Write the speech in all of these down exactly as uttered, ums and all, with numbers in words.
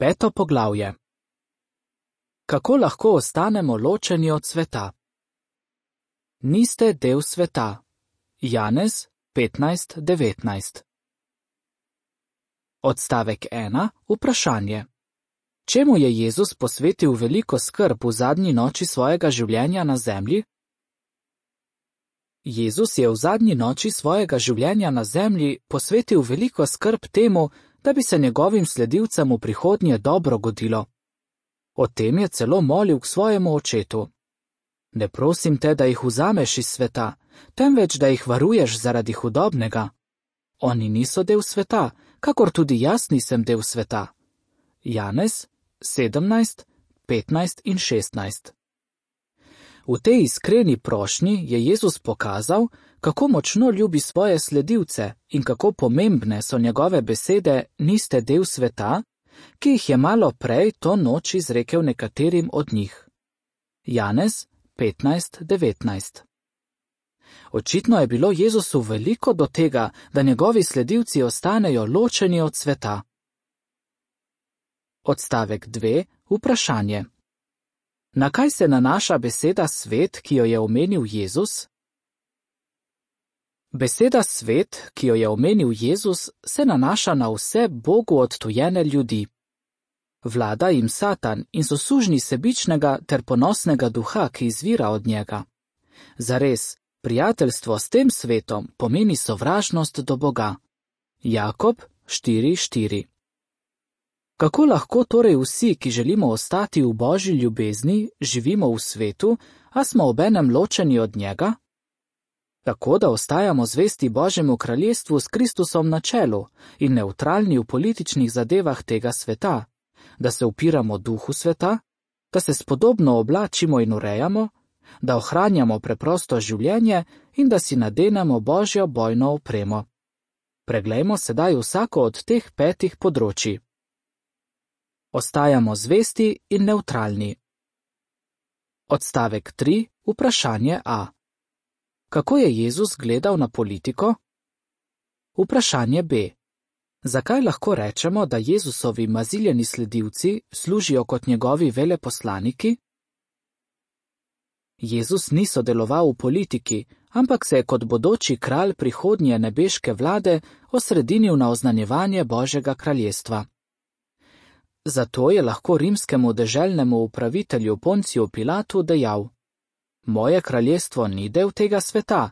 Peto poglavje. Kako lahko ostanemo ločeni od sveta? Niste del sveta. Janez petnajst devetnajst. Odstavek ena. Vprašanje. Čemu je Jezus posvetil veliko skrb v zadnji noči svojega življenja na zemlji? Jezus je v zadnji noči svojega življenja na zemlji posvetil veliko skrb temu, da bi se njegovim sledilcem v prihodnje dobro godilo. O tem je celo molil k svojemu očetu. Ne prosim te, da jih vzameš iz sveta, temveč da jih varuješ zaradi hudobnega. Oni niso del sveta, kakor tudi jaz nisem del sveta. Janez sedemnajst, petnajst in šestnajst. V tej iskreni prošnji je Jezus pokazal, kako močno ljubi svoje sledilce in kako pomembne so njegove besede niste del sveta, ki jih je malo prej to noč izrekel nekaterim od njih. Janez petnajst devetnajst. Očitno je bilo Jezusu veliko do tega, da njegovi sledilci ostanejo ločeni od sveta. Odstavek dve. Vprašanje. Na kaj se nanaša beseda svet, ki jo je omenil Jezus? Beseda svet, ki jo je omenil Jezus, se nanaša na vse Bogu odtujene ljudi. Vlada jim Satan in so sužnji sebičnega ter ponosnega duha, ki izvira od njega. Zares, prijateljstvo s tem svetom pomeni sovražnost do Boga. Jakob štiri štiri. Kako lahko torej vsi, ki želimo ostati v Božji ljubezni, živimo v svetu, a smo obenem ločeni od njega? Tako da ostajamo zvesti Božjemu kraljestvu s Kristusom na čelu in nevtralni v političnih zadevah tega sveta, da se upiramo duhu sveta, da se spodobno oblačimo in urejamo, da ohranjamo preprosto življenje in da si nadenemo Božjo bojno opremo. Preglejmo sedaj vsako od teh petih področij. Ostajamo zvesti in nevtralni. Odstavek tri. Vprašanje A. Kako je Jezus gledal na politiko? Vprašanje B. Zakaj lahko rečemo, da Jezusovi maziljeni sledilci služijo kot njegovi veleposlaniki? Jezus ni sodeloval v politiki, ampak se je kot bodoči kralj prihodnje nebeške vlade osredinil na oznanjevanje Božjega kraljestva. Zato je lahko rimskemu deželnemu upravitelju Ponciju Pilatu dejal: Moje kraljestvo ni del tega sveta.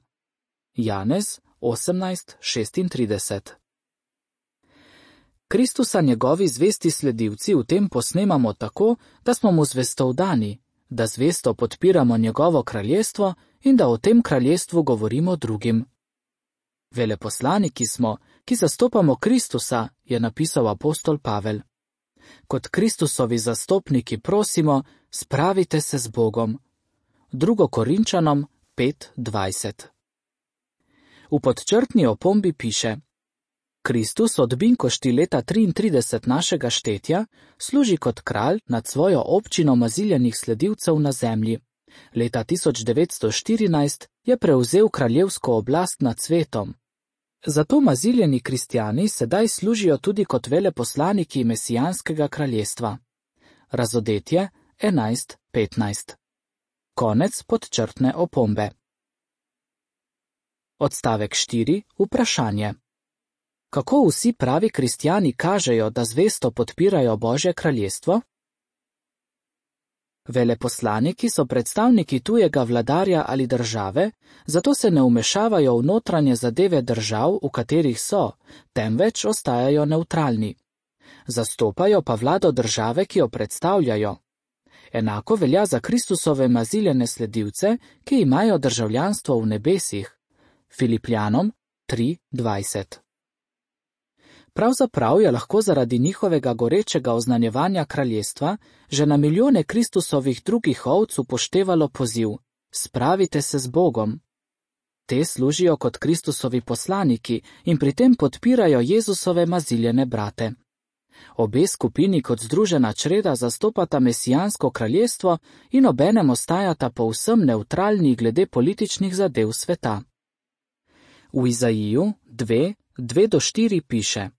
Janez osemnajst šestintrideset. Kristusa njegovi zvesti sledilci v tem posnemamo tako, da smo mu zvestovdani, da zvesto podpiramo njegovo kraljestvo in da o tem kraljestvu govorimo drugim. Veleposlaniki smo, ki zastopamo Kristusa, je napisal apostol Pavel. Kot Kristusovi zastopniki prosimo, spravite se z Bogom. Drugo Korinčanom pet dvajset. V podčrtni opombi piše: Kristus od Binkošti leta triintrideset našega štetja služi kot kralj nad svojo občino maziljenih sledilcev na zemlji. Leta tisoč devetsto štirinajst je prevzel kraljevsko oblast nad svetom. Zato maziljeni kristjani sedaj služijo tudi kot veleposlaniki mesijanskega kraljestva. Razodetje enajst petnajst. Konec podčrtne opombe. Odstavek štiri. Vprašanje. Kako vsi pravi kristjani kažejo, da zvesto podpirajo Božje kraljestvo? Veleposlaniki so predstavniki tujega vladarja ali države, zato se ne vmešavajo v notranje zadeve držav, v katerih so, temveč ostajajo nevtralni. Zastopajo pa vlado države, ki jo predstavljajo. Enako velja za Kristusove maziljene sledilce, ki imajo državljanstvo v nebesih. Filipljanom tri dvajset. Pravzaprav je lahko zaradi njihovega gorečega oznanjevanja kraljestva že na milijone Kristusovih drugih ovc upoštevalo poziv: Spravite se z Bogom. Te služijo kot Kristusovi poslaniki in pri tem podpirajo Jezusove maziljene brate. Obe skupini kot združena čreda zastopata mesijansko kraljestvo in obenem ostajata povsem nevtralni glede političnih zadev sveta. V Izaiju dve dve do štiri piše: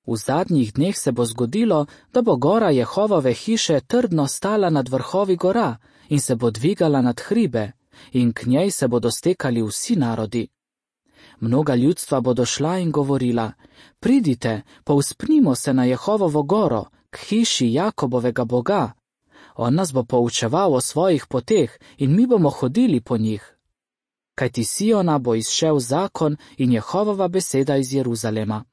V zadnjih dneh se bo zgodilo, da bo gora Jehovove hiše trdno stala nad vrhovi gora in se bo dvigala nad hribe, in k njej se bodo stekali vsi narodi. Mnoga ljudstva bodo šla in govorila: pridite, povzpnimo se na Jehovovo goro, k hiši Jakobovega Boga. On nas bo poučeval o svojih poteh in mi bomo hodili po njih. Kajti Siona bo izšel zakon in Jehovova beseda iz Jeruzalema.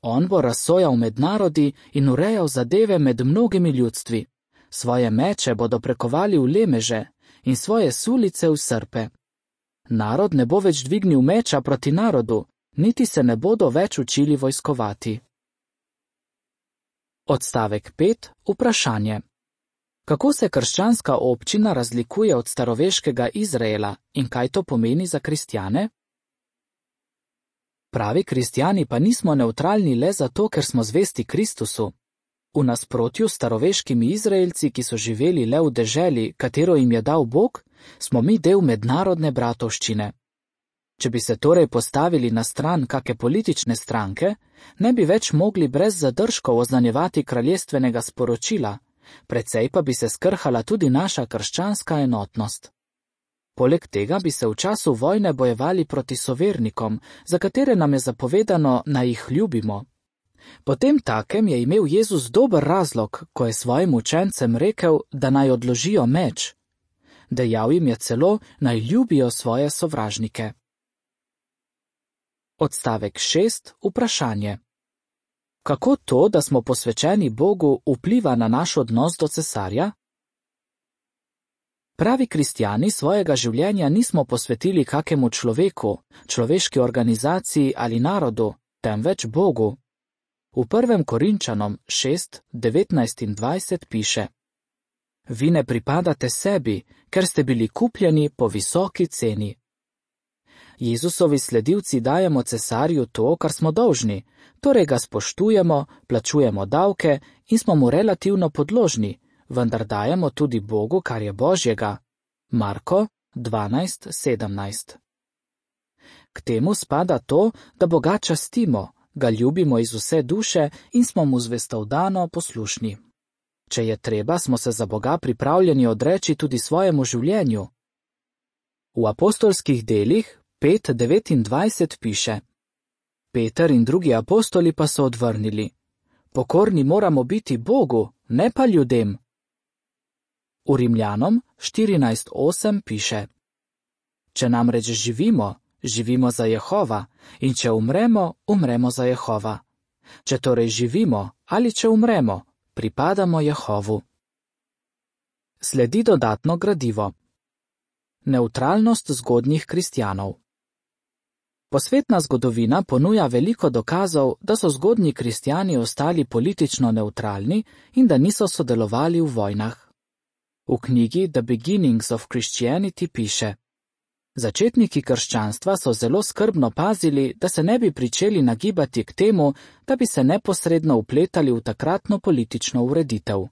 On bo razsojal med narodi in urejal zadeve med mnogimi ljudstvi. Svoje meče bodo prekovali v lemeže in svoje sulice v srpe. Narod ne bo več dvignil meča proti narodu, niti se ne bodo več učili vojskovati. Odstavek pet. Vprašanje. Kako se krščanska občina razlikuje od staroveškega Izraela in kaj to pomeni za kristjane? Pravi kristjani pa nismo nevtralni le zato, ker smo zvesti Kristusu. V nasprotju s staroveškimi Izraelci, ki so živeli le v deželi, katero jim je dal Bog, smo mi del mednarodne bratovščine. Če bi se torej postavili na stran kake politične stranke, ne bi več mogli brez zadržkov oznanjevati kraljestvenega sporočila, precej pa bi se skrhala tudi naša krščanska enotnost. Poleg tega bi se v času vojne bojevali proti sovernikom, za katere nam je zapovedano, naj jih ljubimo. Potem takem je imel Jezus dober razlog, ko je svojim učencem rekel, da naj odložijo meč. Dejal jim je celo, naj ljubijo svoje sovražnike. Odstavek šest. Vprašanje. Kako to, da smo posvečeni Bogu, vpliva na naš odnos do cesarja? Pravi kristjani svojega življenja nismo posvetili kakemu človeku, človeški organizaciji ali narodu, temveč Bogu. V prvem Korinčanom šest, devetnajst in dvajset piše: Vi ne pripadate sebi, ker ste bili kupljeni po visoki ceni. Jezusovi sledilci dajemo cesarju to, kar smo dolžni, torej ga spoštujemo, plačujemo davke in smo mu relativno podložni, vendar dajemo tudi Bogu, kar je Božjega. Marko dvanajst, sedemnajst. K temu spada to, da Boga častimo, ga ljubimo iz vse duše in smo mu zvestovdano poslušni. Če je treba, smo se za Boga pripravljeni odreči tudi svojemu življenju. V apostolskih delih pet devetindvajset piše: Peter in drugi apostoli pa so odvrnili: Pokorni moramo biti Bogu, ne pa ljudem. V Rimljanom štirinajst osem piše: Če namreč živimo, živimo za Jehova, in če umremo, umremo za Jehova. Če torej živimo ali če umremo, pripadamo Jehovu. Sledi dodatno gradivo. Nevtralnost zgodnjih kristjanov. Posvetna zgodovina ponuja veliko dokazov, da so zgodnji kristjani ostali politično nevtralni in da niso sodelovali v vojnah. V knjigi The Beginnings of Christianity piše: Začetniki krščanstva so zelo skrbno pazili, da se ne bi pričeli nagibati k temu, da bi se neposredno vpletali v takratno politično ureditev.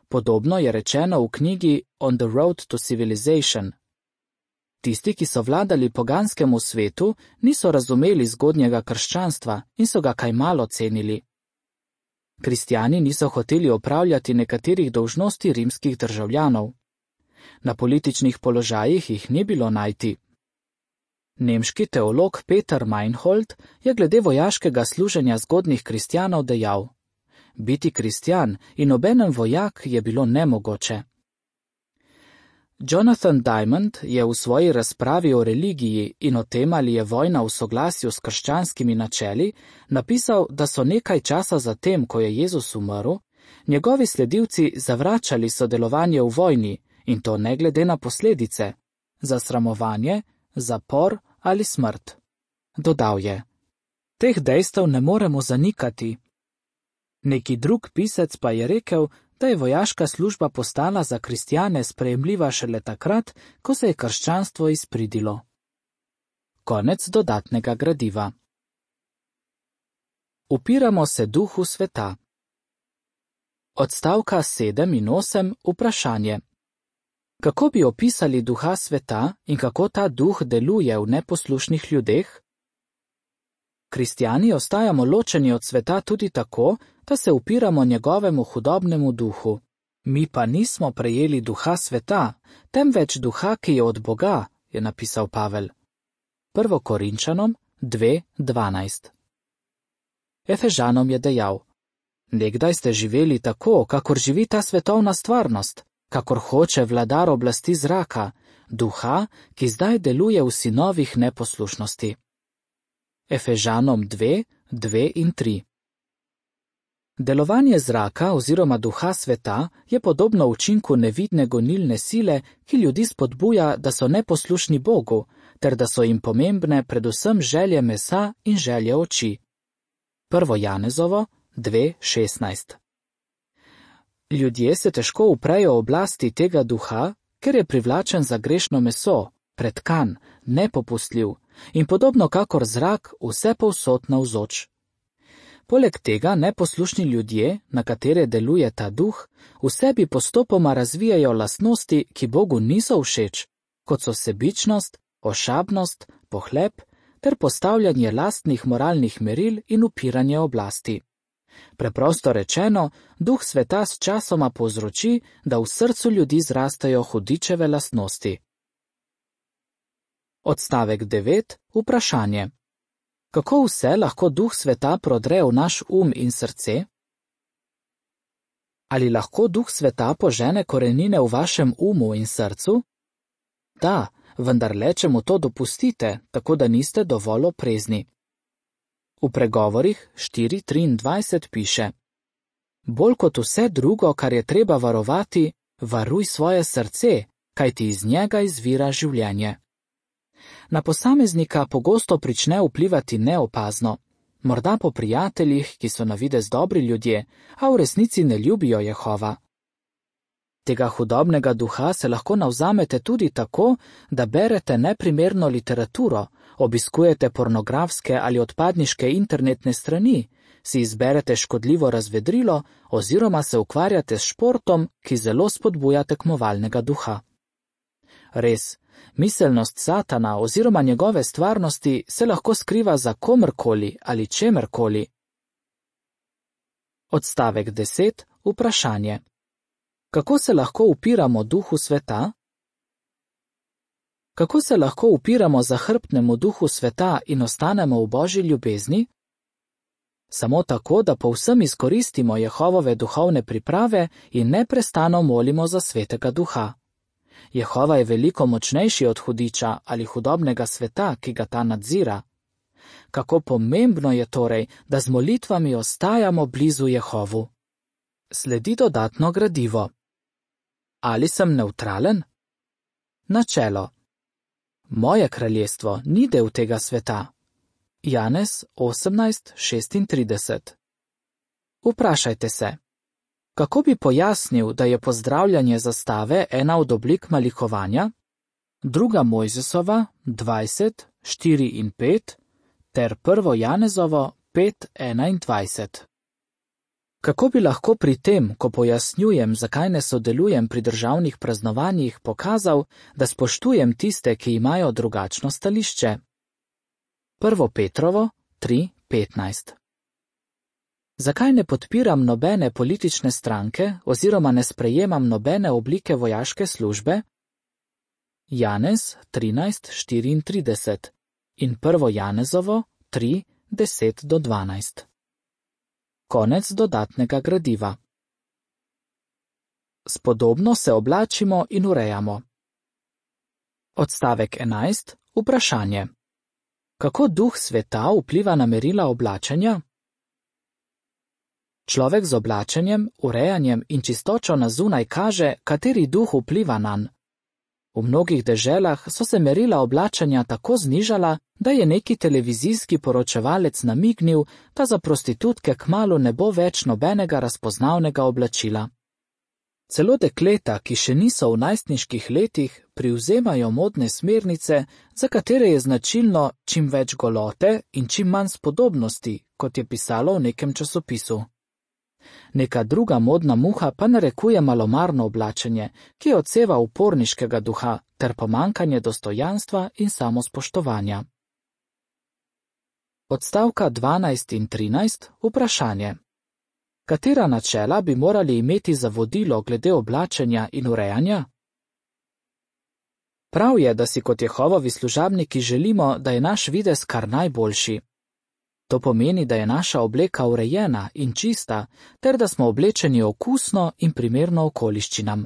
Podobno je rečeno v knjigi On the Road to Civilization. Tisti, ki so vladali poganskemu svetu, niso razumeli zgodnjega krščanstva in so ga kaj malo cenili. Kristjani niso hoteli opravljati nekaterih dolžnosti rimskih državljanov. Na političnih položajih jih ni bilo najti. Nemški teolog Peter Meinhold je glede vojaškega služenja zgodnjih kristjanov dejal: Biti kristjan in obenem vojak je bilo nemogoče. Jonathan Diamond je v svoji razpravi o religiji in o tem, ali je vojna v soglasju s krščanskimi načeli, napisal, da so nekaj časa zatem, ko je Jezus umrl, njegovi sledilci zavračali sodelovanje v vojni, in to ne glede na posledice, zasramovanje, zapor ali smrt. Dodal je: Teh dejstev ne moremo zanikati. Neki drug pisec pa je rekel, da je vojaška služba postala za kristjane sprejemljiva šele takrat, ko se je krščanstvo izpridilo. Konec dodatnega gradiva. Upiramo se duhu sveta. Odstavka sedem in osem. Vprašanje. Kako bi opisali duha sveta in kako ta duh deluje v neposlušnih ljudeh? Kristjani ostajamo ločeni od sveta tudi tako, da se upiramo njegovemu hudobnemu duhu. Mi pa nismo prejeli duha sveta, temveč duha, ki je od Boga, je napisal Pavel. Prvo Korinčanom dve dvanajst. Efežanom je dejal: Nekdaj ste živeli tako, kakor živi ta svetovna stvarnost, kakor hoče vladar oblasti zraka, duha, ki zdaj deluje v sinovih neposlušnosti. Efežanom dve dve in tri. Delovanje zraka oziroma duha sveta je podobno učinku nevidne gonilne sile, ki ljudi spodbuja, da so neposlušni Bogu, ter da so jim pomembne predvsem želje mesa in želje oči. Prvo Janezovo dve šestnajst. Ljudje se težko uprejo oblasti tega duha, ker je privlačen za grešno meso, pretkan, nepopustljiv in podobno kakor zrak vse povsod navzoč. Poleg tega neposlušni ljudje, na katere deluje ta duh, v sebi postopoma razvijajo lastnosti, ki Bogu niso všeč, kot so sebičnost, ošabnost, pohlep ter postavljanje lastnih moralnih meril in upiranje oblasti. Preprosto rečeno, duh sveta s časoma povzroči, da v srcu ljudi zrastajo hudičeve lastnosti. Odstavek devet. Vprašanje. Kako vse lahko duh sveta prodre v naš um in srce? Ali lahko duh sveta požene korenine v vašem umu in srcu? Da, vendar le, če mu to dopustite, tako da niste dovolj oprezni. V pregovorih štiri triindvajset piše: Bolj kot vse drugo, kar je treba varovati, varuj svoje srce, kajti iz njega izvira življenje. Na posameznika pogosto prične vplivati neopazno, morda po prijateljih, ki so na videz dobri ljudje, a v resnici ne ljubijo Jehova. Tega hudobnega duha se lahko navzamete tudi tako, da berete neprimerno literaturo, obiskujete pornografske ali odpadniške internetne strani, si izberete škodljivo razvedrilo oziroma se ukvarjate s športom, ki zelo spodbuja tekmovalnega duha. Res, miselnost Satana oziroma njegove stvarnosti se lahko skriva za komrkoli ali čemerkoli. Odstavek deset. Vprašanje. Kako se lahko upiramo duhu sveta? Kako se lahko upiramo zahrbtnemu duhu sveta in ostanemo v Božji ljubezni? Samo tako, da povsem izkoristimo Jehovove duhovne priprave in neprestano molimo za svetega duha. Jehova je veliko močnejši od hudiča ali hudobnega sveta, ki ga ta nadzira. Kako pomembno je torej, da z molitvami ostajamo blizu Jehovu. Sledi dodatno gradivo. Ali sem nevtralen? Načelo. Moje kraljestvo ni del tega sveta. Janez osemnajst šestintrideset. Vprašajte se. Kako bi pojasnil, da je pozdravljanje zastave ena od oblik malikovanja? Druga Mojzesova dvajset štiri in pet ter prvo Janezovo pet enaindvajset. Kako bi lahko pri tem, ko pojasnjujem, zakaj ne sodelujem pri državnih praznovanjih, pokazal, da spoštujem tiste, ki imajo drugačno stališče? Prvo Petrovo tri petnajst. Zakaj ne podpiram nobene politične stranke oziroma ne sprejemam nobene oblike vojaške službe? Janez trinajst štiriintrideset in prvo Janezovo tri deset do dvanajst. Konec dodatnega gradiva. Spodobno se oblačimo in urejamo. Odstavek enajst. Vprašanje. Kako duh sveta vpliva na merila oblačenja? Človek z oblačenjem, urejanjem in čistočo na zunaj kaže, kateri duh vpliva nanj. V mnogih deželah so se merila oblačenja tako znižala, da je neki televizijski poročevalec namignil, da za prostitutke kmalu ne bo več nobenega razpoznavnega oblačila. Celo dekleta, ki še niso v najstniških letih, privzemajo modne smernice, za katere je značilno čim več golote in čim manj spodobnosti, kot je pisalo v nekem časopisu. Neka druga modna muha pa narekuje malomarno oblačenje, ki odseva uporniškega duha ter pomankanje dostojanstva in samospoštovanja. Odstavka dvanajst in trinajst, vprašanje. Katera načela bi morali imeti za vodilo glede oblačenja in urejanja? Prav je, da si kot Jehovovi služabniki želimo, da je naš videz kar najboljši. To pomeni, da je naša obleka urejena in čista, ter da smo oblečeni okusno in primerno okoliščinam.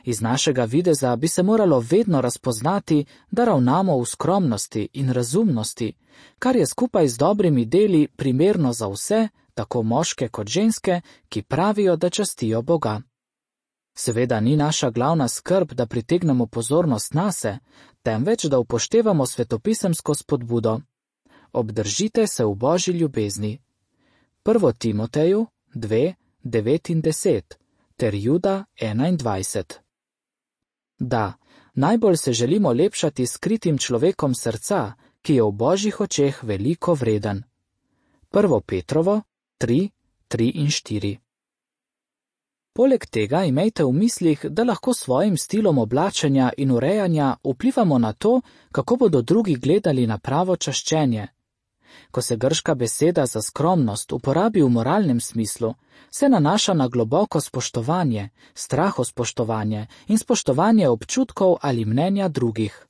Iz našega videza bi se moralo vedno razpoznati, da ravnamo v skromnosti in razumnosti, kar je skupaj z dobrimi deli primerno za vse, tako moške kot ženske, ki pravijo, da častijo Boga. Seveda ni naša glavna skrb, da pritegnemo pozornost nase, temveč da upoštevamo svetopisemsko spodbudo. Obdržite se v Božji ljubezni. Prvo Timoteju dve, devet in deset ter Juda enaindvajset. Da, najbolj se želimo lepšati skritim človekom srca, ki je v Božjih očeh veliko vreden. Prvo Petrovo tri, tri in štiri. Poleg tega imejte v mislih, da lahko svojim stilom oblačenja in urejanja vplivamo na to, kako bodo drugi gledali na pravo čaščenje. Ko se grška beseda za skromnost uporabi v moralnem smislu, se nanaša na globoko spoštovanje, strahospoštovanje in spoštovanje občutkov ali mnenja drugih.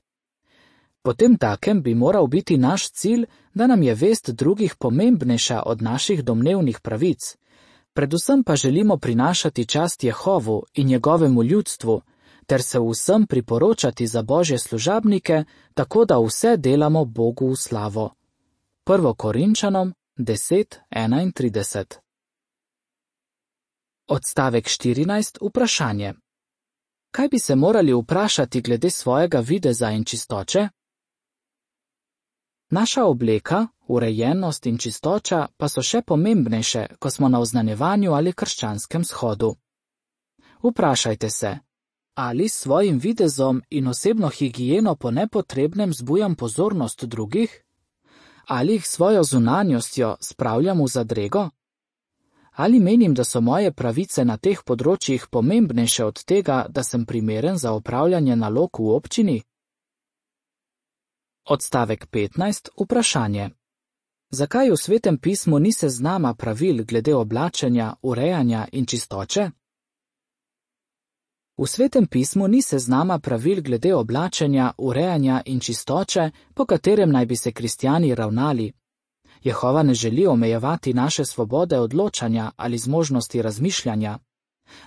Potem takem bi moral biti naš cilj, da nam je vest drugih pomembnejša od naših domnevnih pravic. Predvsem pa želimo prinašati čast Jehovu in njegovemu ljudstvu, ter se vsem priporočati za Božje služabnike, tako da vse delamo Bogu v slavo. Prvo Korinčanom deset, enaintrideset. Odstavek štirinajst, vprašanje. Kaj bi se morali vprašati glede svojega videza in čistoče? Naša obleka, urejenost in čistoča pa so še pomembnejše, ko smo na oznanjevanju ali krščanskem shodu. Vprašajte se, ali s svojim videzom in osebno higieno po nepotrebnem zbujam pozornost drugih? Ali jih svojo zunanjostjo spravljam v zadrego? Ali menim, da so moje pravice na teh področjih pomembnejše od tega, da sem primeren za opravljanje nalog v občini? Odstavek petnajst, vprašanje. Zakaj v Svetem pismu ni seznama pravil glede oblačenja, urejanja in čistoče? V Svetem pismu ni seznama pravil glede oblačenja, urejanja in čistoče, po katerem naj bi se kristjani ravnali. Jehova ne želi omejevati naše svobode odločanja ali zmožnosti razmišljanja.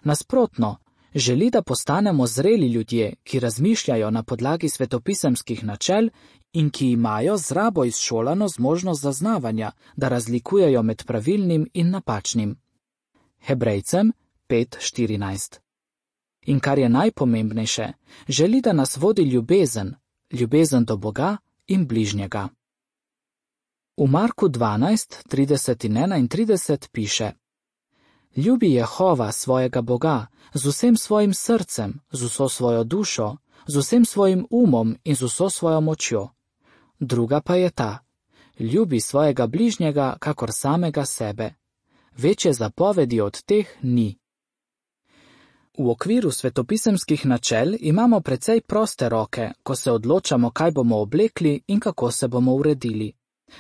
Nasprotno, želi, da postanemo zreli ljudje, ki razmišljajo na podlagi svetopisemskih načel in ki imajo z rabo izšolano zmožnost zaznavanja, da razlikujejo med pravilnim in napačnim. Hebrejcem pet štirinajst. In kar je najpomembnejše, želi, da nas vodi ljubezen, ljubezen do Boga in bližnjega. V Marku dvanajst, trideset in enaintrideset piše: Ljubi Jehova svojega Boga z vsem svojim srcem, z vso svojo dušo, z vsem svojim umom in z vso svojo močjo. Druga pa je ta: ljubi svojega bližnjega kakor samega sebe. Večje zapovedi od teh ni. V okviru svetopisemskih načel imamo precej proste roke, ko se odločamo, kaj bomo oblekli in kako se bomo uredili.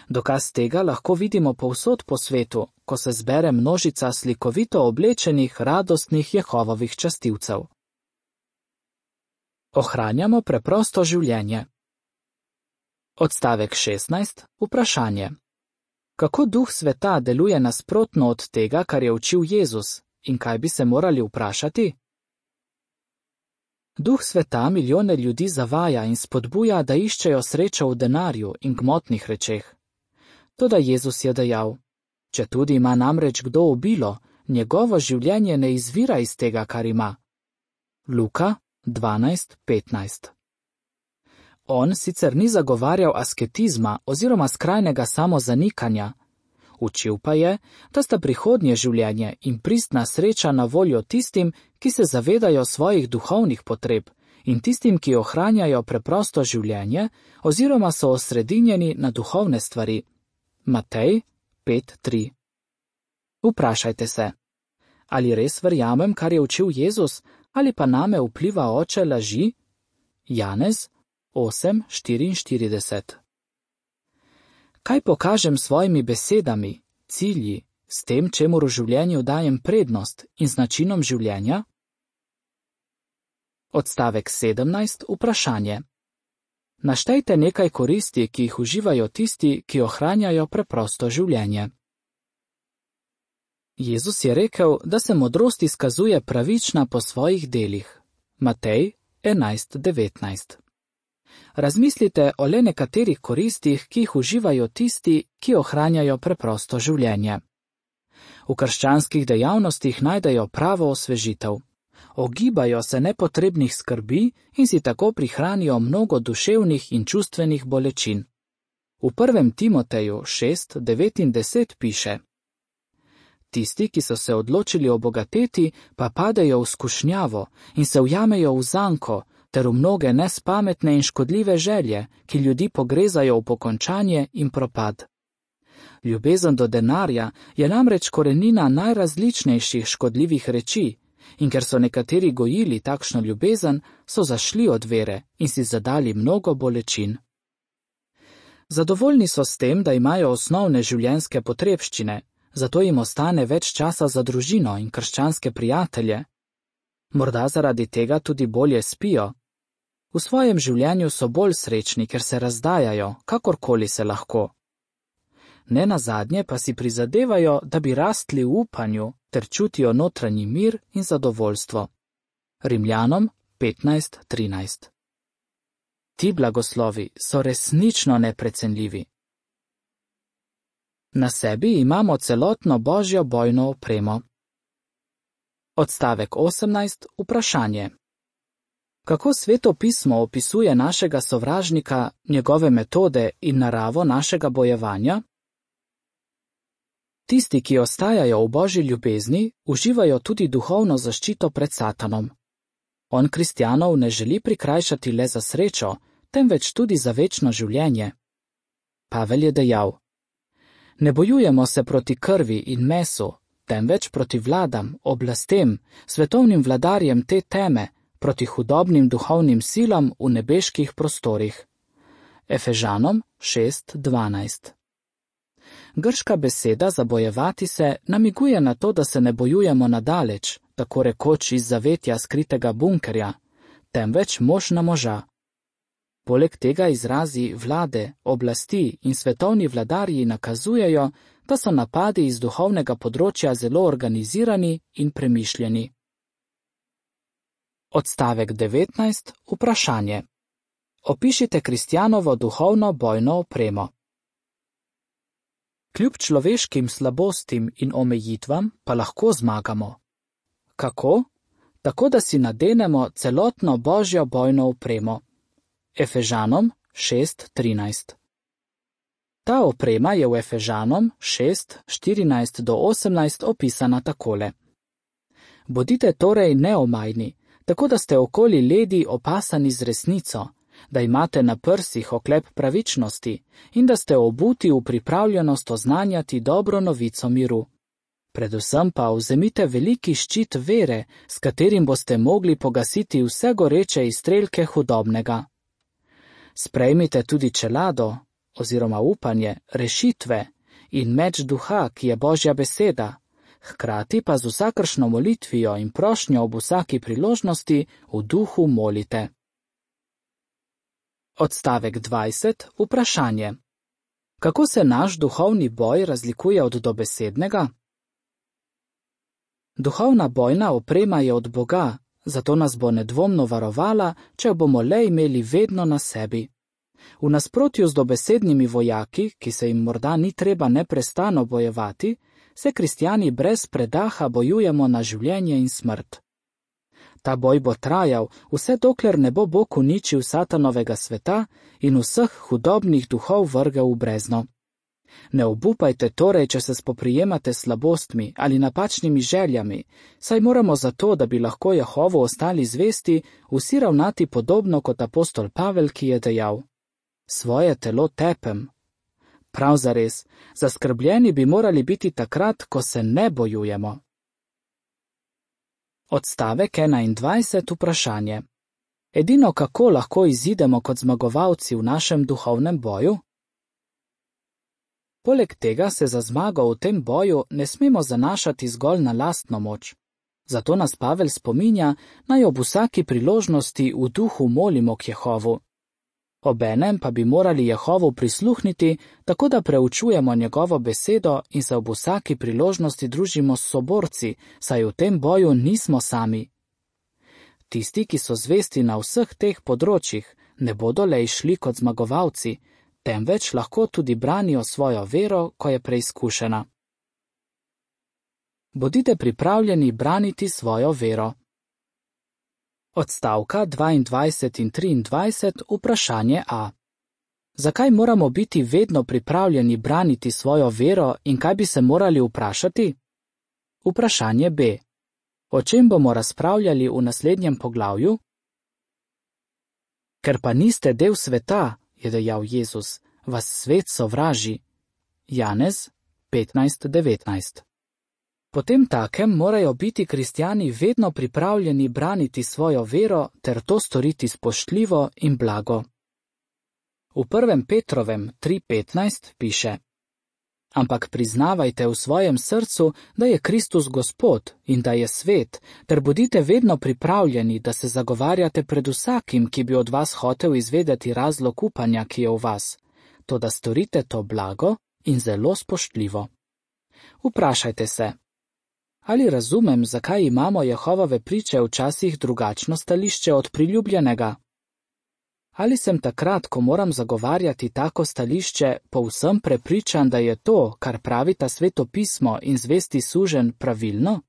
Dokaz tega lahko vidimo povsod po svetu, ko se zbere množica slikovito oblečenih, radostnih Jehovovih častilcev. Ohranjamo preprosto življenje. Odstavek šestnajst, vprašanje. Kako duh sveta deluje nasprotno od tega, kar je učil Jezus, in kaj bi se morali vprašati? Duh sveta milijone ljudi zavaja in spodbuja, da iščejo srečo v denarju in gmotnih rečeh. Toda Jezus je dejal: četudi ima namreč kdo obilo, njegovo življenje ne izvira iz tega, kar ima. Luka dvanajst, petnajst. On sicer ni zagovarjal asketizma oziroma skrajnega samozanikanja, učil pa je, da sta prihodnje življenje in pristna sreča na voljo tistim, ki se zavedajo svojih duhovnih potreb, in tistim, ki ohranjajo preprosto življenje oziroma so osredinjeni na duhovne stvari. Matej pet, tri. Vprašajte se, ali res verjamem, kar je učil Jezus, ali pa name vpliva oče laži? Janez osem, štiriinštirideset. Kaj pokažem s svojimi besedami, cilji, s tem, čemu v življenju dajem prednost in z načinom življenja? Odstavek sedemnajst. Vprašanje. Naštejte nekaj koristi, ki jih uživajo tisti, ki ohranjajo preprosto življenje. Jezus je rekel, da se modrost izkazuje pravična po svojih delih. Matej enajst devetnajst. Razmislite o le nekaterih koristih, ki jih uživajo tisti, ki ohranjajo preprosto življenje. V krščanskih dejavnostih najdejo pravo osvežitev. Ogibajo se nepotrebnih skrbi in si tako prihranijo mnogo duševnih in čustvenih bolečin. V prvem Timoteju šest devet in deset piše: Tisti, ki so se odločili obogateti, pa padejo v skušnjavo in se ujamejo v zanko ter v mnoge nespametne in škodljive želje, ki ljudi pogrezajo v pokončanje in propad. Ljubezen do denarja je namreč korenina najrazličnejših škodljivih reči, in ker so nekateri gojili takšno ljubezen, so zašli od vere in si zadali mnogo bolečin. Zadovoljni so s tem, da imajo osnovne življenjske potrebščine, zato jim ostane več časa za družino in krščanske prijatelje. Morda zaradi tega tudi bolje spijo. V svojem življenju so bolj srečni, ker se razdajajo, kakorkoli se lahko. Nenazadnje pa si prizadevajo, da bi rastli v upanju ter čutijo notranji mir in zadovoljstvo. Rimljanom petnajst trinajst. Ti blagoslovi so resnično neprecenljivi. Na sebi imamo celotno Božjo bojno opremo. Odstavek osemnajst. Vprašanje. Kako Sveto pismo opisuje našega sovražnika, njegove metode in naravo našega bojevanja? Tisti, ki ostajajo v Božji ljubezni, uživajo tudi duhovno zaščito pred Satanom. On kristjanov ne želi prikrajšati le za srečo, temveč tudi za večno življenje. Pavel je dejal: Ne bojujemo se proti krvi in mesu, temveč proti vladam, oblastem, svetovnim vladarjem te teme, proti hudobnim duhovnim silam v nebeških prostorih. Efežanom šest dvanajst. Grška beseda za bojevati se namiguje na to, da se ne bojujemo nadaleč, tako rekoč iz zavetja skritega bunkerja, temveč mož na moža. Poleg tega izrazi vlade, oblasti in svetovni vladarji nakazujejo, da so napadi iz duhovnega področja zelo organizirani in premišljeni. Odstavek devetnajst. Vprašanje. Opišite kristjanovo duhovno bojno opremo. Kljub človeškim slabostim in omejitvam pa lahko zmagamo. Kako? Tako, da si nadenemo celotno Božjo bojno opremo. Efežanom šest trinajst. Ta oprema je v Efežanom šest štirinajst do osemnajst opisana takole. Bodite torej neomajni, tako da ste okoli ledi opasani z resnico, da imate na prsih oklep pravičnosti in da ste obuti v pripravljenost oznanjati dobro novico miru. Predvsem pa vzemite veliki ščit vere, s katerim boste mogli pogasiti vse goreče izstrelke hudobnega. Sprejmite tudi čelado, oziroma upanje, rešitve in meč duha, ki je Božja beseda, hkrati pa z vsakršno molitvijo in prošnjo ob vsaki priložnosti v duhu molite. Odstavek dvajset. Vprašanje. Kako se naš duhovni boj razlikuje od dobesednega? Duhovna bojna oprema je od Boga, zato nas bo nedvomno varovala, če jo bomo le imeli vedno na sebi. V nasprotju z dobesednimi vojaki, ki se jim morda ni treba neprestano bojevati, se kristjani brez predaha bojujemo na življenje in smrt. Ta boj bo trajal, vse dokler ne bo Bog uničil satanovega sveta in vseh hudobnih duhov vrgel v brezno. Ne obupajte torej, če se spoprijemate s slabostmi ali napačnimi željami, saj moramo zato, da bi lahko Jehovu ostali zvesti, vsi ravnati podobno kot apostol Pavel, ki je dejal: Svoje telo tepem. Prav zares, zaskrbljeni bi morali biti takrat, ko se ne bojujemo. Odstavek enaindvajset. Vprašanje. Edino kako lahko izidemo kot zmagovalci v našem duhovnem boju? Poleg tega se za zmago v tem boju ne smemo zanašati zgolj na lastno moč. Zato nas Pavel spominja, naj ob vsaki priložnosti v duhu molimo k Jehovu. Obenem pa bi morali Jehovu prisluhniti, tako da preučujemo njegovo besedo in se ob vsaki priložnosti družimo s soborci, saj v tem boju nismo sami. Tisti, ki so zvesti na vseh teh področjih, ne bodo le išli kot zmagovalci, temveč lahko tudi branijo svojo vero, ko je preizkušena. Bodite pripravljeni braniti svojo vero. Odstavka dvaindvajset in triindvajset, vprašanje A. Zakaj moramo biti vedno pripravljeni braniti svojo vero in kaj bi se morali vprašati? Vprašanje B. O čem bomo razpravljali v naslednjem poglavju? Ker pa niste del sveta, je dejal Jezus, vas svet sovraži. Janez petnajst devetnajst. Potem takem morajo biti kristjani vedno pripravljeni braniti svojo vero ter to storiti spoštljivo in blago. V prvem Petrovem tri petnajst piše: Ampak priznavajte v svojem srcu, da je Kristus Gospod in da je svet, ter bodite vedno pripravljeni, da se zagovarjate pred vsakim, ki bi od vas hotel izvedeti razlog upanja, ki je v vas, toda storite to blago in zelo spoštljivo. Vprašajte se, ali razumem, zakaj imamo Jehovove priče včasih drugačno stališče od priljubljenega? Ali sem takrat, ko moram zagovarjati tako stališče, povsem prepričan, da je to, kar pravita Sveto pismo in zvesti suženj, pravilno?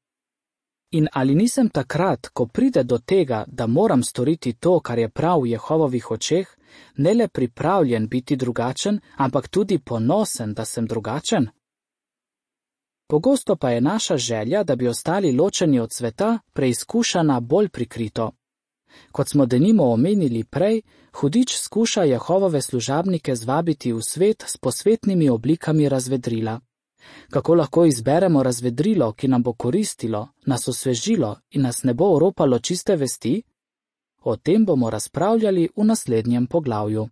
In ali nisem takrat, ko pride do tega, da moram storiti to, kar je prav v Jehovovih očeh, ne le pripravljen biti drugačen, ampak tudi ponosen, da sem drugačen? Pogosto pa je naša želja, da bi ostali ločeni od sveta, preizkušana bolj prikrito. Kot smo denimo omenili prej, hudič skuša Jehovove služabnike zvabiti v svet s posvetnimi oblikami razvedrila. Kako lahko izberemo razvedrilo, ki nam bo koristilo, nas osvežilo in nas ne bo oropalo čiste vesti? O tem bomo razpravljali v naslednjem poglavju.